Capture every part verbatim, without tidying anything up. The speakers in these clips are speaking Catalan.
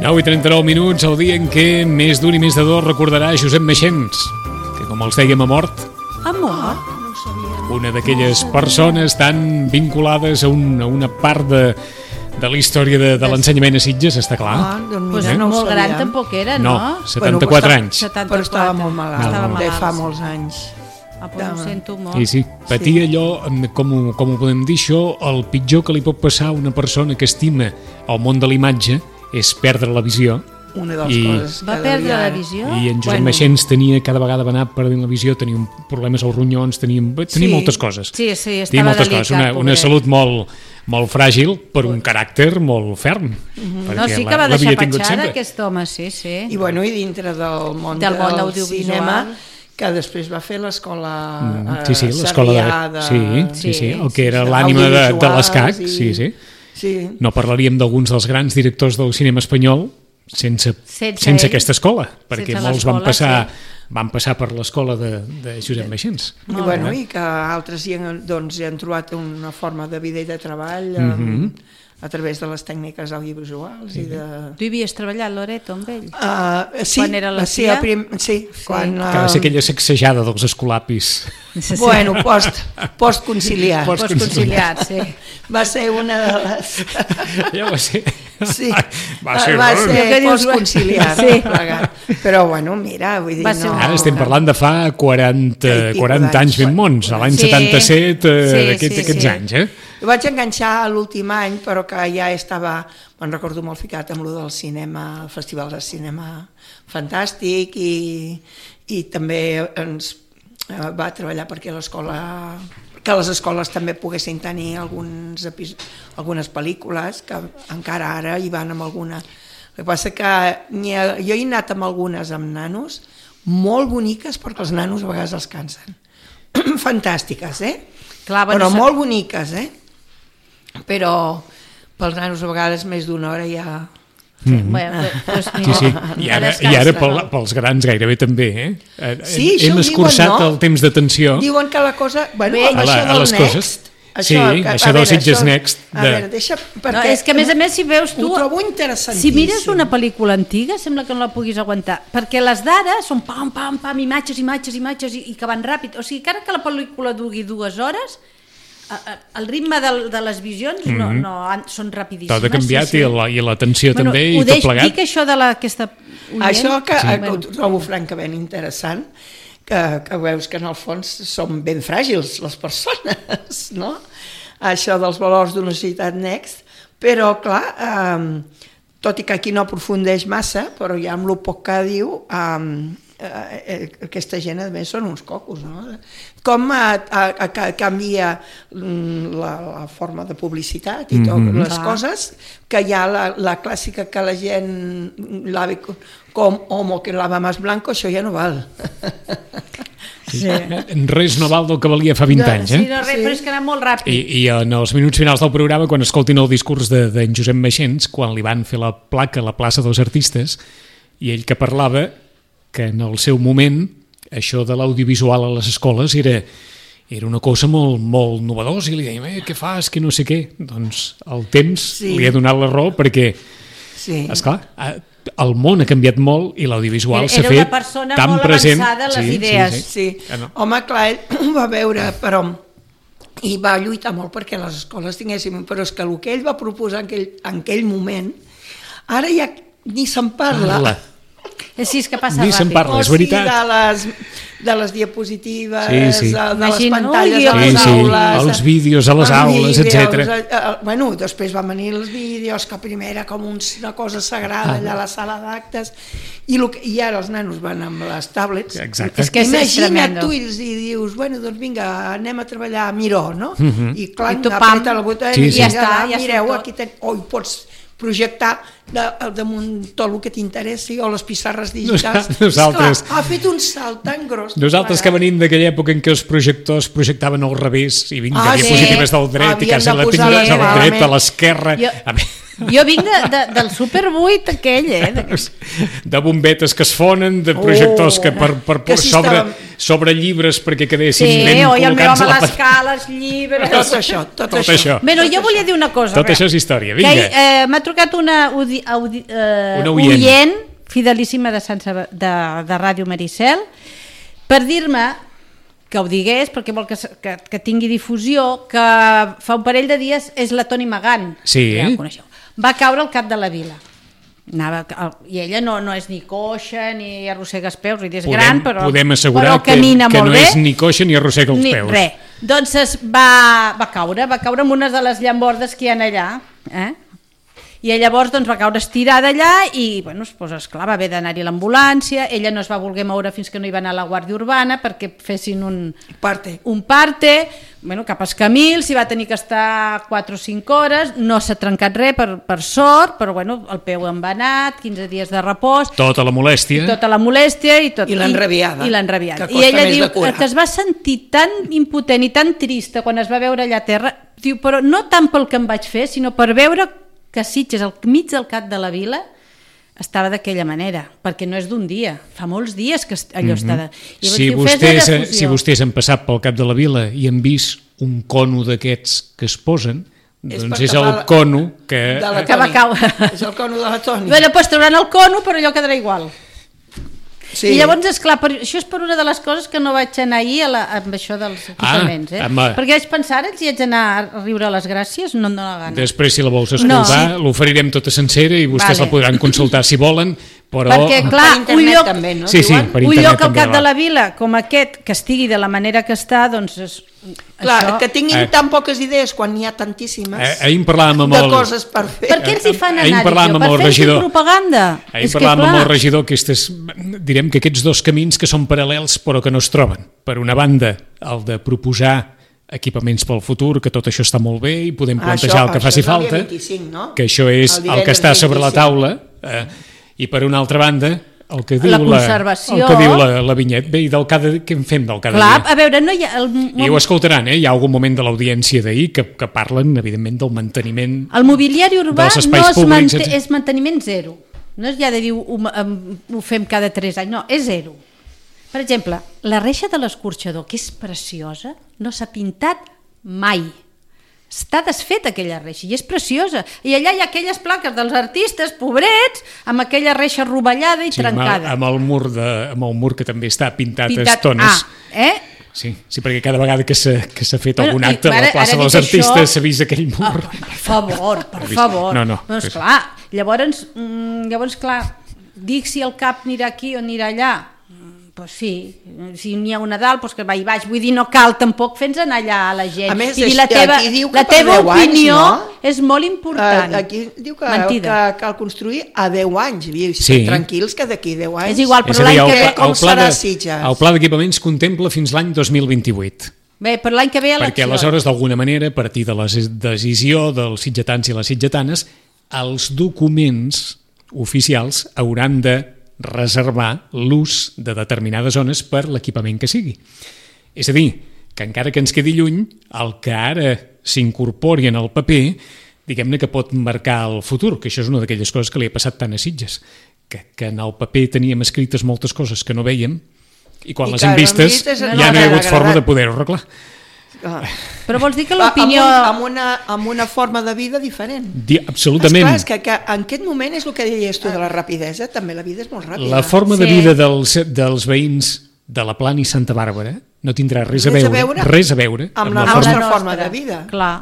nou i trenta-nou minuts, el dia en què més d'un i més de dos recordarà Josep Maixens, que com els dèiem ha mort. Ha mort? No ho sabia. Una d'aquelles persones tan vinculades a, un, a una part de, de la història de, de l'ensenyament a Sitges, està clar. Ah, doncs Pues mira, no ho molt gran sabia. tampoc era, No, no? setanta-quatre Bueno, anys. setanta-quatre. Però estava molt malalt, Estava de malalt, fa sí. molts anys. Ah, pues ho sento molt. Sí, sí, patia allò, com ho, com ho podem dir això, el pitjor que li pot passar a una persona que estima el món de l'imatge és perdre la visió. Una de les I- coses que Va perdre devia- la visió? I en Josep Bueno. Maixens tenia, cada vegada va anar perdent la visió, tenia un- problemes als ronyons, tenia, tenia Sí. moltes coses. Sí, sí, Tenia estava moltes delicat, coses, una, una pobret. salut molt, molt fràgil per un caràcter molt ferm. Mhm. No, sí que va deixar petjada aquest home, sí, sí. I, bueno, i dintre del món Del del, món audiovisual. cinema, que després va fer l'escola Mm, eh, sí, sí, l'escola Sarrià de... Sí, sí, sí, el que era sí, l'ànima de, de audiovisuals l'escac, i- sí, sí. Sí. No parlaríem d'alguns dels grans directors del cinema espanyol sense, Sense sense ell. aquesta escola, perquè Sense molts van l'escola, passar, sí. van passar per l'escola de, de Josep Maixens. I, Molt bueno, bé. i que altres hi han, doncs, hi han trobat una forma de vida i de treball Mhm. um, a través de les tècniques audiovisuals i de... Tu hi havies treballat, Loreto, amb ell? Uh, sí, Quan era la sí, tia? a prim, sí, sí, quan... Que va ser aquella sacsejada dels escolapis. Uh, bueno, post, post-conciliar. Post- Postconciliat, sí. Va ser una de les... Ja va ser... Sí, Va ser... va ser Què dius? post-conciliar. Sí. Plegat. Però, bueno, mira, vull dir, Va ser no... una Ara estem parlant de fa quaranta, I pico quaranta anys d'anys. ben mons, a l'any Sí. setanta-set, eh, Sí, d'aquests, sí, aquests sí. anys, eh? Jo vaig enganxar a l'últim any, però que ja estava, me'n recordo molt ficat amb lo del cinema, el Festival de Cinema Fantàstic, i, i també ens eh, va treballar perquè l'escola que les escoles també poguessin tenir alguns epis, algunes pel·lícules, que encara ara hi van amb alguna. El que passa que ha, jo he anat amb algunes amb nanos, molt boniques, perquè els nanos a vegades els cansen. Fantàstiques, eh? Clar, Però bueno, molt boniques, eh? Però pels nanos a vegades més d'una hora ja... Bueno, doncs, Sí, mira, sí, i ara, i ara pel, pels grans gairebé també, eh? Eh, Sí, això Hem ho escurçat diuen, no? el temps d'atenció Diuen que la cosa... Bueno, Bé, amb a, la, això a del les Next... coses. Sí, això a del veure, Sitges això- Next. A De... veure, deixa... Perquè no, és que a més a més si veus tu... Ho trobo interessantíssim. Si mires una pel·lícula antiga sembla que no la puguis aguantar, perquè les d'ara són pam, pam, pam, imatges, imatges, imatges i, i que van ràpid. O sigui, encara que la pel·lícula dugui dues hores, a- a- el ritme de, de les visions no, no, han- són rapidíssimes. Tot ha canviat sí, sí. i la- i l'atenció Bueno, també ho i tot deix, plegat. dic això de la, aquesta... oient, Això que, sí. que ho trobo francament interessant, que, que veus que en el fons som ben fràgils les persones, no? Això dels valors d'una societat Next, però clar, eh, tot i que aquí no aprofundeix massa, però ja amb el poc que diu, eh, eh, aquesta gent a més són uns cocos, no? Com a, a, a, a canvia la, la forma de publicitat i tot, Mhm. les Clar. coses, que hi ha la, la clàssica que la gent lave com homo que lava más blanco, això ja no val. Sí. Res no val del que valia fa vint No, anys, sí, eh? no, res, Sí. però és que anava molt ràpid. I, I en els minuts finals del programa, quan escoltin el discurs d'en de, de Josep Maixens, quan li van fer la placa a la plaça dels artistes, i ell que parlava que en el seu moment això de l'audiovisual a les escoles era, era una cosa molt, molt novedosa, i li dèiem, eh, què fas, que no sé què. Doncs el temps Sí. li ha donat la raó perquè, Sí. esclar, el món ha canviat molt i l'audiovisual s'ha fet Era una persona tan molt present. avançada en les Sí, idees. sí, Sí, Ah, no. home, clar, ell ho va veure, però i va lluitar molt perquè les escoles tinguessin, però és que el que ell va proposar en aquell, en aquell moment, ara ja ni se'n parla. Parla. Sí, és que passa Ni se'n ràpid. parla, és veritat. de les, de les diapositives, Sí, sí. de, de les Imagina, pantalles ui, a les Sí, sí, aules, els vídeos a les els aules, vídeos, etcètera. eh, eh, Bueno, després van venir els vídeos, que primer era com un, una cosa sagrada allà a la sala d'actes, i, lo que, i ara els nanos van amb les tablets. Exacte. És que és Imagina't tremendo. tu i dius, bueno, doncs vinga, anem a treballar a Miró, no? Uh -huh. I clar, I tu, pam, apreta el botó sí, i sí. ja Ja està, ja mireu, surt tot. aquí ten... o hi pots projectar de, damunt tot el que t'interessi o les pissarres digitals. Nosaltres- Esclar, ha fet un salt tan gros. Nosaltres que venim d'aquella època en què els projectors projectaven al revés i vinga, Ah, sí. diapositives del dret i Havien quasi de la posar tingues la al malament. dret, a l'esquerra. Jo- A mi- Jo vinc de, de, del Super vuit aquell, eh? De... de bombetes que es fonen, de projectors Oh, que per, per, que per si sobre, estàvem- sobre llibres perquè quedessin Sí, ben oi, el meu col·locats home a a la les pantalla. cales, llibres... Tot això, tot, Tot això. això. Bé, no, jo volia dir una cosa. Tot a això veure, és història, que vinga. ahir, eh, m'ha trucat una, audi, audi, eh, Una oient. oient fidelíssima de, Sant Sab de, de Ràdio Maricel per dir-me que ho digués perquè vol que, se- que, que tingui difusió, que fa un parell de dies és la Toni Magant, Sí. ja ho coneixeu, va caure al cap de la vila. Anava, i ella no, no és ni coixa ni arrossega els peus, és Podem, gran però, podem assegurar però que, camina que molt no bé. és ni coixa ni arrossega els Ni, peus. res. Doncs es va, va caure, va caure en una de les llambordes que hi ha allà, eh? I llavors doncs, va caure estirada allà i, bueno, doncs, esclar, va haver d'anar-hi a l'ambulància, ella no es va voler moure fins que no hi va anar la Guàrdia Urbana perquè fessin un, Parte. un parte, bueno, cap als Camils, s'hi va tenir que estar quatre o cinc hores, no s'ha trencat res per, per sort, però bueno, el peu envenat, quinze dies de repòs, Tota la molèstia. i tota la molèstia i tot. I l'enrabiada, I, i l'enrabiada. que I costa ella més diu de curar. que es va sentir tan impotent i tan trista quan es va veure allà a terra, diu, però no tant pel que em vaig fer, sinó per veure que Sitges, al mig del cap de la vila, estava d'aquella manera, perquè no és d'un dia, fa molts dies que allò està... De... Llavors, Si diu, "Fes la vostès, difusió". si vostès han passat pel cap de la vila i han vist un cono d'aquests que es posen, És doncs per és el tapar la- cono que... De la Que va Toni. caure. És el cono de la Toni. Bueno, doncs trauran el cono, però allò quedarà igual. Sí. I llavors, esclar, per, això és per una de les coses que no vaig anar ahir a la, amb això dels equipaments, eh? home. Perquè vaig pensar, ara si haig d'anar a riure a les gràcies, no em dóna gana. Després, si la vols escoltar, No. l'oferirem tota sencera i vostès Vale. la podran consultar si volen, però... Perquè, clar, Per internet un lloc, també, no? Sí, sí, Diuen? per un internet lloc al també cap va. de la vila com aquest, que estigui de la manera que està, doncs és, Clar, això... que tinguin Eh. tan poques idees quan n'hi ha tantíssimes Eh, ahir en parlàvem amb de el... coses per fer. Per què ens hi fan Ahir anar, parlàvem dic jo? amb Per el fer regidor. propaganda? Ahir És que, parlàvem amb clar, el regidor que aquestes, direm que aquests dos camins que són paral·lels però que no es troben. Per una banda, el de proposar equipaments pel futur, que tot això està molt bé i podem plantejar Això- el que això faci és el dia falta, vint-i-cinc, no? que això és El el, que divendres està sobre la vint-i-cinc. taula, eh, i per una altra banda, el que diu La la, conservació. el que diu la, la vinyet, bé, i del cada, què en fem del cada clar, dia? a veure, no hi ha... El, I ho escoltaran, eh? Hi ha algun moment de l'audiència d'ahir que, que parlen, evidentment, del manteniment... El mobiliari urbà dels no espais es públics, manté, etcètera. és manteniment zero. No és ja de dir ho, em- ho fem cada tres anys, no, és zero. Per exemple, la reixa de l'escorxador, que és preciosa, no s'ha pintat mai. Està desfeta aquella reixa i és preciosa. I allà hi ha aquelles plaques dels artistes, pobrets, amb aquella reixa rovellada i Sí, amb, el, trencada. amb, el mur de, amb el mur que també està pintat, a Pintat- estones. Ah, eh? Sí, sí, perquè cada vegada que s'ha que s'ha fet Bueno, algun i acte a ara- la plaça ara dels dic artistes això- s'ha vist aquell mur. Ah, per favor, per vist. favor. No, no, Doncs és- clar, llavors, mm, llavors clar, dic si el cap anirà aquí o anirà allà. Mm, Doncs sí, si n'hi ha una dalt, doncs que va i baix. Vull dir, no cal tampoc fer-nos anar allà a la gent. A més, I dir, és- la teva, aquí diu que la per teva deu anys, opinió no? és molt important. Eh, aquí diu que, Mentida. que cal construir a deu anys. I Sí. tranquils que d'aquí deu anys... És igual, És però a dir, l'any el, que pla- ve... com el, pla serà de, Sitges? el pla d'equipaments contempla fins l'any dos mil vint-i-vuit. Bé, per l'any que ve eleccions. Perquè aleshores, d'alguna manera, a partir de la decisió dels sitgetans i les sitgetanes, els documents oficials hauran de reservar l'ús de determinades zones per l'equipament que sigui. És a dir, que encara que ens quedi lluny, el que ara s'incorpori en el paper, diguem-ne que pot marcar el futur, que això és una d'aquelles coses que li ha passat tant a Sitges, que, que en el paper teníem escrites moltes coses que no veiem, i quan I les que hem les hem vistes vistes ja no no hi ha ens han hagut forma agradat. de poder-ho arreglar. Ah. Però vols dir que l'opinió... Amb, un, amb, una, amb una forma de vida diferent. Di, absolutament. Esclar, és que, que en aquest moment és el que deies tu de la rapidesa, també la vida és molt ràpida. La forma de Sí. vida dels, dels veïns de la Plana i Santa Bàrbara no tindrà res a Res a veure, veure res a veure amb la Amb nostra la forma de vida. Clar.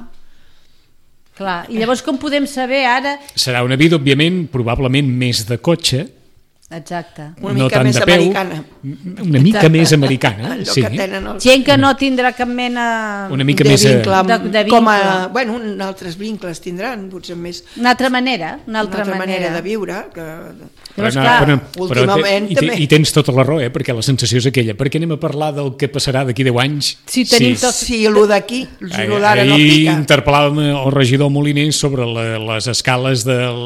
Clar. I llavors com podem saber ara... Serà una vida, òbviament, probablement més de cotxe, Exacte. Una no mica tant més de peu, americana. una mica Exacte. més americana, Allò sí. que tenen els... Gent que no tindrà cap mena... Una mica de més... eh, vincle, amb- de- de com a, vincle. bueno, un, altres vincles tindran, potser més Una altra manera, una una altra, altra manera manera de viure. Que... Llavors, no, clar, últimament i, te- també. i tens tota la raó, eh? Perquè la sensació és aquella. Per què anem a parlar del que passarà d'aquí deu anys? Si tenim tot- Sí, el d'aquí, Ahir, el d'ara no ahir pica. interpel·làvem el regidor Moliner sobre la, les escales del...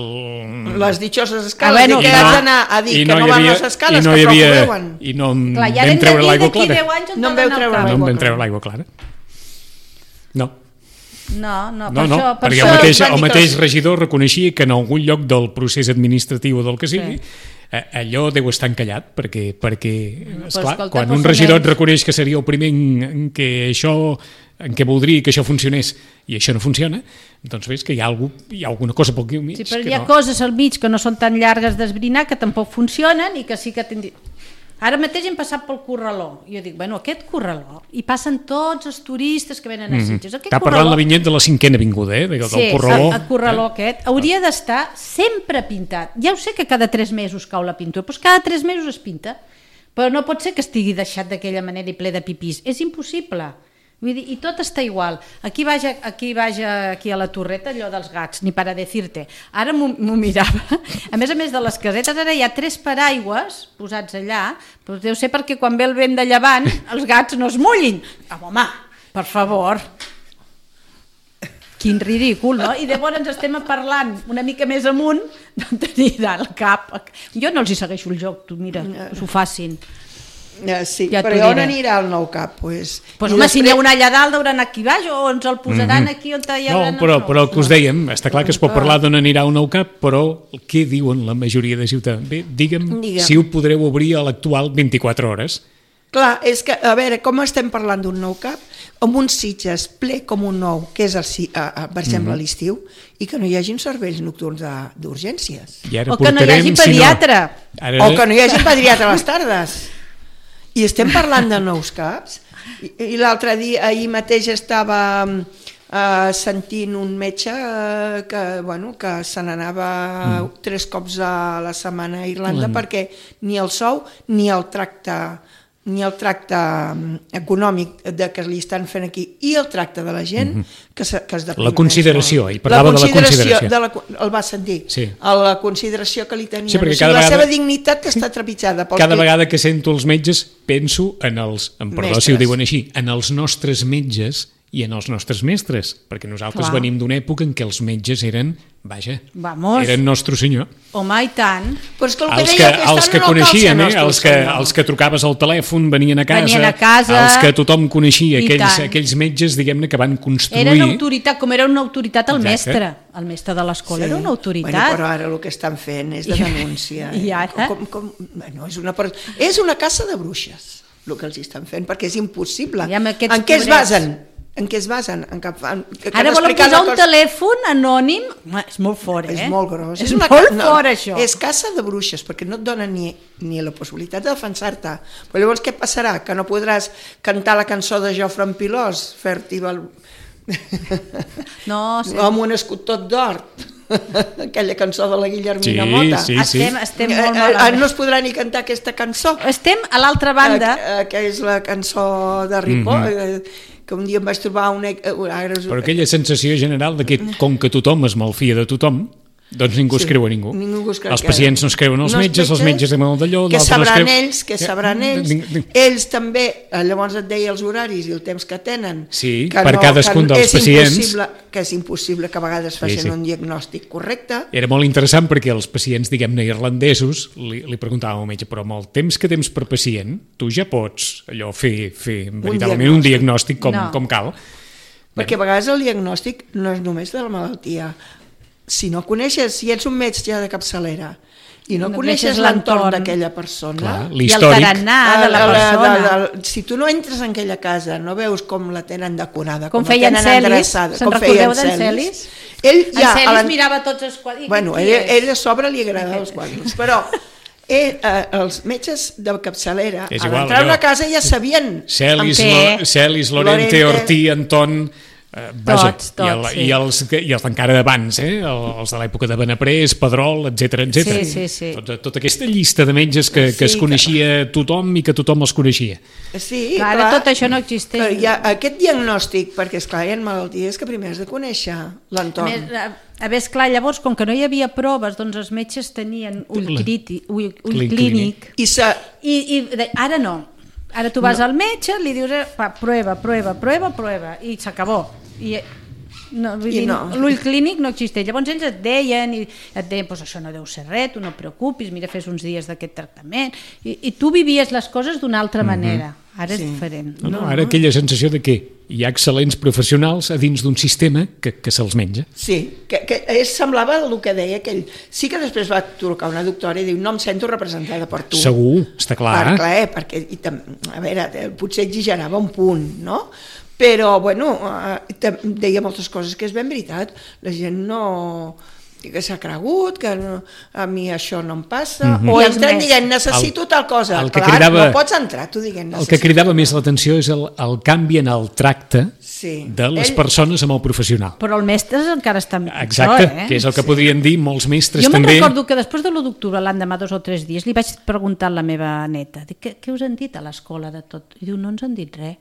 Les ditxoses Ah, escales, bueno, i que clar. haig d'anar a dir I que no, hi van havia- les escales, i no que hi prou havia, que ho veuen. I no em clar, ja vam hem de treure dir l'aigua d'aquí clara. deu anys on No em t'ha veu d'anar treure el cap. No em l'aigua vam clara. treure l'aigua clara. No. No, no, No, per no, això... Per perquè això el mateix, van dir el que mateix els- regidor reconeixia que en algun lloc del procés administratiu o del que sigui, Sí. eh, allò deu estar encallat, perquè, perquè esclar, escolta, quan però un fa regidor et menys. reconeix que seria el primer en, en què això en què voldria que això funcionés i això no funciona, doncs ves que hi ha, algú, hi ha alguna cosa pel mig Sí, però que hi ha no. coses al mig que no són tan llargues d'esbrinar, que tampoc funcionen i que sí que tindri... Ara mateix hem passat pel Corraló. I jo dic, bueno, aquest Corraló, hi passen tots els turistes que venen a Sitges. Aquest Està parlant la vinyet de la cinquena avinguda, eh? del Sí, Corraló. el, el Corraló aquest hauria d'estar sempre pintat. Ja ho sé que cada tres mesos cau la pintura, però cada tres mesos es pinta. Però no pot ser que estigui deixat d'aquella manera i ple de pipís. És impossible. Vull dir, i tot està igual. Aquí vaig, aquí vaig aquí a la torreta, allò dels gats, ni para decirte. Ara m'ho m'ho mirava. A més a més de les casetes, ara hi ha tres paraigües posats allà, però deu ser perquè quan ve el vent de llevant els gats no es mullin. Ah, home, per favor. Quin ridícul, no? I llavors estem parlant una mica més amunt d'on tenir el cap. Jo no els hi segueixo el joc, tu mira, s'ho facin. Eh, sí, Ja ja t'ho però on diré. anirà el nou cap? Pues, Pues, i home, si n'hi ha després- una allà dalt, hauran aquí baix o ens el posaran aquí on hi No, haurà... però, però el que us dèiem, està clar que es pot parlar d'on anirà un nou cap, però què diuen la majoria de ciutadans? Bé, digue'm, Digue'm. si ho podreu obrir a l'actual vint-i-quatre hores. Clar, és que, a veure, com estem parlant d'un nou cap, amb un Sitges ple com un nou, que és, el, si- a, a, per exemple, a l'estiu, i que no hi hagin serveis nocturns de- d'urgències. I ara O que no hi portarem, hagi si pediatre. Ara, O que no hi hagi pediatre a les tardes. I estem parlant de nous caps. I, i l'altre dia, ahir mateix estava eh, sentint un metge eh, que, bueno, que se n'anava mm. tres cops a la setmana a Irlanda Mm. perquè ni el sou ni el tracte ni el tracte mm, econòmic de que li estan fent aquí i el tracte de la gent mm-hmm. que, se, que es deprima. La consideració, molt. ell parlava de la consideració. De la, el va sentir, Sí. a la consideració que li tenien. Sí, perquè o sigui, cada la vegada- seva dignitat que està trepitjada. Pel Cada que- vegada que sento els metges penso en els, en perdó si ho Mestres. diuen així, en els nostres metges i en els nostres mestres, perquè nosaltres Clar. venim d'una època en què els metges eren, vaja, Vamos. eren nostre senyor. Home, i tant. Però és que el que Els deia que, aquest els any que no cal coneixien, ser eh? nostre els, que, senyor. els que trucaves al telèfon venien a casa, Venien a casa. els que tothom coneixia, I aquells, tant. aquells metges, diguem-ne, que van construir... Era una autoritat, com era una autoritat el Exacte. mestre. El mestre de l'escola era una autoritat. Bueno, però ara el que estan fent és de I- denúncia. i ara? Com, com, bueno, és, una, per- és una caça de bruixes, el que els estan fent, perquè és impossible. I amb aquests En què es pobrets. basen? En què es basen? En cap, en, que Ara han volen explicat posar la un cosa- telèfon anònim. Home, és molt fort, eh? És molt gros. És, una molt ca- no, fort, això. És caça de bruixes, perquè no et donen ni, ni la possibilitat de defensar-te. Però llavors què passarà? Que no podràs cantar la cançó de Jofre en Pilós, fer-t'hi el... No, sí. amb un escut tot d'or. Aquella cançó de la Guillermina Sí, Mota. sí, sí. Estem, estem Eh, molt eh, malament. no es podrà ni cantar aquesta cançó. Estem a l'altra banda. Eh, eh, que és la cançó de Ripoll, Mhm. eh, que un dia em vaig trobar una... eh, ara us- Però aquella sensació general de que com que tothom es malfia de tothom, doncs ningú es Sí, creu a ningú. ningú es creu els que- pacients no es creuen els No, metges, els metges de mal d'allò, que l'altre no es sabran creu... ells, que sabran ells, Ding- ding- ells també, eh, llavors et deia els horaris i el temps que tenen, Sí, que per cadascun que dels és pacients. impossible, que és impossible que a vegades facin sí. un diagnòstic correcte. Era molt interessant perquè els pacients, diguem-ne, irlandesos, li, li preguntàvem al metge, però amb el temps que tens per pacient, tu ja pots allò fer, fer veritablement un diagnòstic com, No. com cal. Perquè a vegades el diagnòstic no és només de la malaltia. Si no coneixes, si ets un metge de capçalera i no, no coneixes l'entorn d'aquella persona. Clar, I el l'històric. tarannà de la persona. De, de, de, si tu no entres en aquella casa, no veus com la tenen decorada, Com com, feia la tenen Celis, endreçada, se'n com feia recordeu d'en Celis? Ell En ja, Celis la... mirava tots els quadres. Bueno, ell, ell a sobre li agrada els quadres, però ell, eh, els metges de capçalera, És a igual, l'entrar a una allò. casa ja sabien Celis, Amb què? Lo, Celis Lorente, Lorente. Ortí, Anton... Eh, vaja, Tots, tots, i, el, sí. i els, i els d'encara d'abans, eh? els de l'època de Benaprés, Pedrol, etcètera, etcètera. Sí, sí, sí. Tota, tota aquesta llista de metges que, que Sí, es coneixia tothom i que tothom els coneixia. Sí, Clar, clar, tot això no existeix. Però hi ha aquest diagnòstic, perquè esclar, hi ha malalties que primer has de conèixer A l'entorn. més, a, a més, clar, llavors, com que no hi havia proves, doncs els metges tenien ull, La- criti, ull, ull Clínic. clínic. I se, I, i de- ara no. Ara tu vas no. al metge, li dius, eh, va, prueba, prueba, prueba, prueba, i s'acabó. I, no, vull I dir, no. l'ull clínic no existeix. Llavors ells et deien, i et deien, pues això no deu ser res, tu no et preocupis, mira, fes uns dies d'aquest tractament. I, I tu vivies les coses d'una altra mm -hmm. manera. Ara Sí. és diferent. No, no, ara aquella sensació de que hi ha excel·lents professionals a dins d'un sistema que, que se'ls menja. sí, que, que és, semblava el que deia aquell. Sí que després va trucar una doctora i diu, no em sento representada per tu. Segur, està clar. Per, clar, eh, perquè, i tam, a veure, eh, potser exagerava un punt, no? Però, bueno, eh, tam- deia moltes coses que és ben veritat. La gent no... que s'ha cregut, que no, a mi això no em passa, mm -hmm. o I els entren més. dient, necessito El- tal cosa. el que Clar, cridava- no pots entrar tu dient, El que necessito cridava tal més cosa. l'atenció és el, el canvi en el tracte Sí. de les Ell- persones amb el professional. Però el mestre encara està pitjor, Exacte, eh? que és el que podrien dir molts mestres Jo me'n també. recordo que després de l'u d'octubre, l'endemà, dos o tres dies, li vaig preguntar a la meva neta, dic, què, què us han dit a l'escola de tot? I diu, no ens han dit res.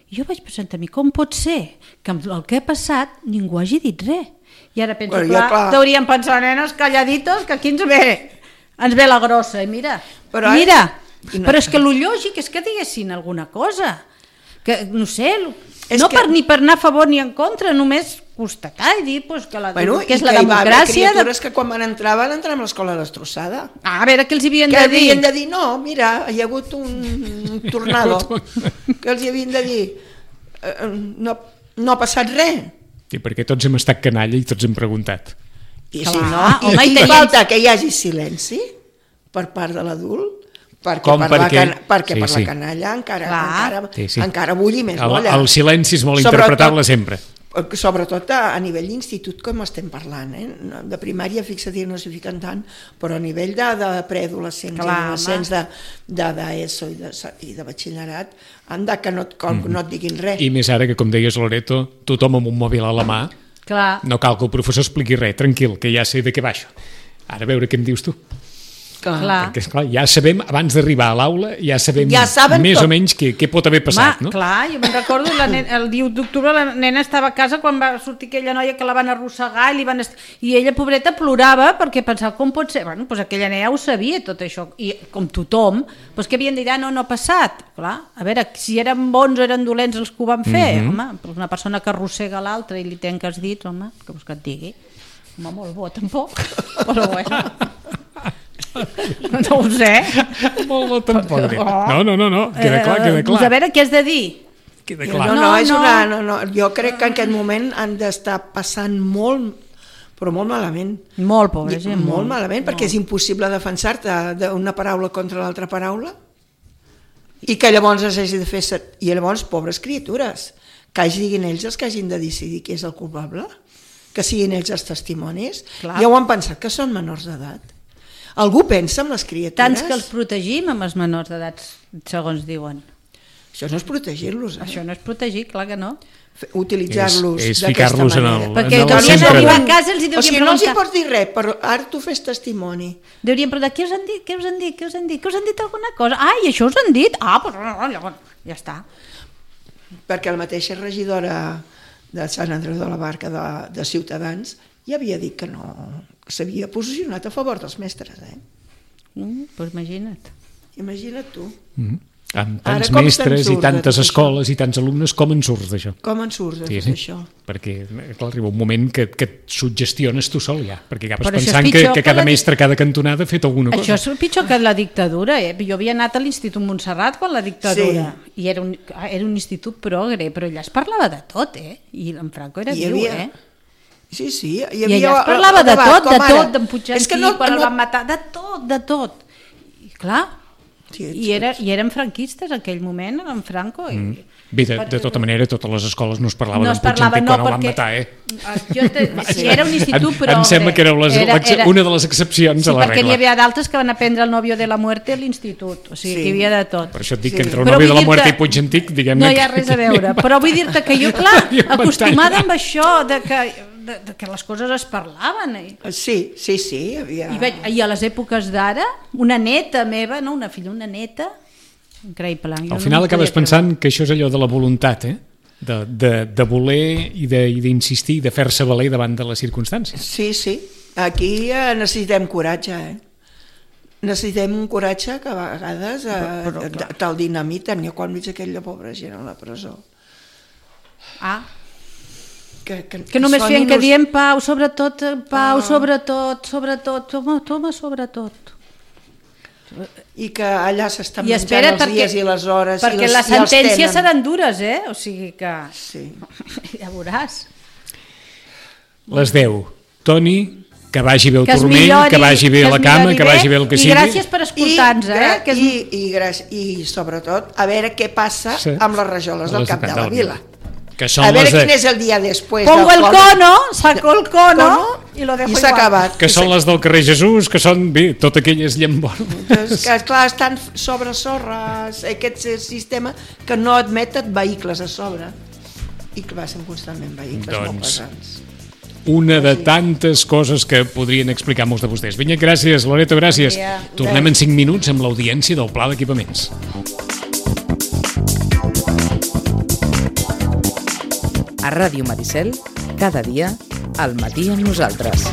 I jo vaig pensar a mi, com pot ser que amb el que ha passat ningú hagi dit res? I ara penso, Bueno, bueno, ja, clar, clar. t'haurien pensat, nenes calladitos, que aquí ens ve, ens ve la grossa. I mira, Però, mira, i no- però és que el lògic és que diguessin alguna cosa. Que, no sé, És no que- per, ni per anar a favor ni en contra, només constatar i dir pues, que, la, Bueno, que és i la que hi va haver democràcia. De... criatures que quan van entrar van entrar amb l'escola destrossada. Ah, a veure què els hi havien Que de dir. havien de dir, no, mira, hi ha hagut un tornado. Que els hi havien de dir, eh, no, no ha passat res. Sí, perquè tots hem estat canalla i tots hem preguntat. I Clar, si no, home, i, i i tenien- falta que hi hagi silenci per part de l'adult, perquè Com per, perquè- la, can, perquè sí, per sí. la canalla encara, Clar. encara, Sí, sí. encara bulli més El, bolla. el silenci és molt Sobretot- interpretable sempre. Sobretot a, a nivell d'institut, com estem parlant, eh? No, de primària, fixa't, no s'hi fiquen tant, però a nivell de, de preadolescents, Clar, adolescents, de, de, d'ESO i de, i de batxillerat, han de que no, et, mm. no et diguin res. I més ara que, com deies, Loreto, tothom amb un mòbil a la mà, Clar. no cal que el professor expliqui res, tranquil, que ja sé de què va això. Ara a veure què em dius tu. Clar. Clar. Perquè, esclar, ja sabem, abans d'arribar a l'aula, ja sabem Ja saben més tot. o menys què, què pot haver passat, Home, no? clar, jo me'n recordo, la nena, el dia u d'octubre la nena estava a casa quan va sortir aquella noia que la van arrossegar i, li van est... i ella, pobreta, plorava perquè pensava, com pot ser? Bueno, doncs aquella nena ja ho sabia, tot això, i com tothom, doncs que havien de dir, ah, no, no ha passat. Clar, a veure, si eren bons o eren dolents els que ho van fer, Mhm. home, però una persona que arrossega l'altra i li tenca els dits, home, que vols que et digui? Home, molt bo, tampoc, però bueno... No ho sé. Molt bo, tampoc. Oh. No, no, no, no, queda clar, queda Eh, doncs a clar. veure què has de dir. Queda No, clar. no, No, és no. una, no, no, jo crec que en aquest moment han d'estar passant molt, però molt malament. Molt pobra gent, molt, molt. malament, perquè és impossible defensar-te d'una paraula contra l'altra paraula i que llavors es hagi de fer... set- I llavors, pobres criatures, que hagi diguin ells els que hagin de decidir qui és el culpable, que siguin ells els testimonis. Clar. Ja ho han pensat, que són menors d'edat. Algú pensa en les criatures? Tants que els protegim amb els menors d'edat, segons diuen. Això no és protegir-los, eh? Això no és protegir, clar que no. Fe- utilitzar-los És- és d'aquesta ficar-los en el- manera. Perquè en el haurien centre d'arribar de- a casa i els hi O deurien sigui, no els hi preguntar. pots dir res, però ara tu fes testimoni. Deurien preguntar, què us han dit, què us han dit, què us han dit, què us han dit alguna cosa? Ah, i això us han dit? Ah, doncs no, llavors, ja està. Perquè la mateixa regidora de Sant Andreu de la Barca de, de Ciutadans ja havia dit que no, que s'havia posicionat a favor dels mestres, eh? Mm, doncs imagina't. Imagina't tu. Mhm. Amb Ara, tants com se'n mestres i surt de tantes tot escoles i tants alumnes, com en surts d'això? Com en surts de Sí, tot sí. això? Perquè clar, arriba un moment que, que et suggestiones tu sol ja, perquè acabes Però això és pensant que, pitjor que que cada la dic- mestre, cada cantonada ha fet alguna Això cosa. és pitjor que la dictadura, eh? Jo havia anat a l'Institut Montserrat quan la dictadura, Sí. i era un, era un institut progre, però allà es parlava de tot, eh? I en Franco era Hi viu, havia- eh? Sí, sí. Hi I havia allà es parlava de debat, tot, de com ara. tot, d'en Puigdentí, És que no, quan el no... van matar, de tot, de tot. I clar, Sí, i, era, i eren franquistes en aquell moment, en Franco. I... Mm. Bé, de, de tota manera, a totes les escoles no es parlava No d'en es parlava, Puigdentí no, quan el van perquè... matar, eh? Jo te... Sí, era un institut, em, però... em sembla que era, les, era, era... una de les excepcions Sí, a la perquè n'hi regla. havia d'altres que van aprendre el novio de la muerte a l'institut, o sigui, Sí. que hi havia de tot. Per això et dic Sí. que entre el Però nòvio vull de la dir-te- Muerte i Puigdentí, diguem-ne... No hi ha res a veure, però vull dir-te que jo, clar, Hi ha acostumada pantalla. amb això, de que, de, de que les coses es parlaven. I, Sí, sí, sí, hi havia... i, veig, i a les èpoques d'ara, una neta meva, no una filla, una neta, increïble. Jo Al final no acabes podia pensant que això és allò de la voluntat, eh? De, de, de voler i de- i d'insistir, de fer-se valer davant de les circumstàncies. Sí, sí. Aquí eh, necessitem coratge, eh? Necessitem un coratge que a vegades eh, Però, però, clar. te'l dinamiten. Jo quan veig aquella pobra gent a la presó... Ah, Que, que, que només són feien que unos- diem pau, sobretot, pau, Ah. sobretot, sobretot, toma, toma, sobretot. I que allà s'estan I menjant espera, els perquè, dies i les hores perquè i les, les i els sentències tenen. seran dures, eh? O sigui que... Sí. Ja veuràs. Les deu. Toni, que vagi bé el Que es turmell, millori, que vagi bé que es la cama, millori que vagi bé el que i sigui. gràcies per escoltar-nos, eh? gra- Que és... i, i, gràcies, I sobretot a veure què passa Sí. amb les rajoles del Les cap de la vila. Que són A veure les de... quin és el dia després. Pongo del el col- cono, saco el cono, cono i lo dejo i s'ha igual. acabat. que són les del carrer Jesús, que són, bé, tot aquelles llambordes. Doncs que, clar, estan sobre sorres, aquest sistema que no admeten vehicles a sobre i que passen constantment vehicles molt Doncs, pesants. Una de tantes coses que podrien explicar molts de vostès. Vinga, gràcies, Loreto, gràcies. Bon dia. Tornem en cinc minuts amb l'audiència del Pla d'Equipaments. A Ràdio Maricel, cada dia, al matí amb nosaltres.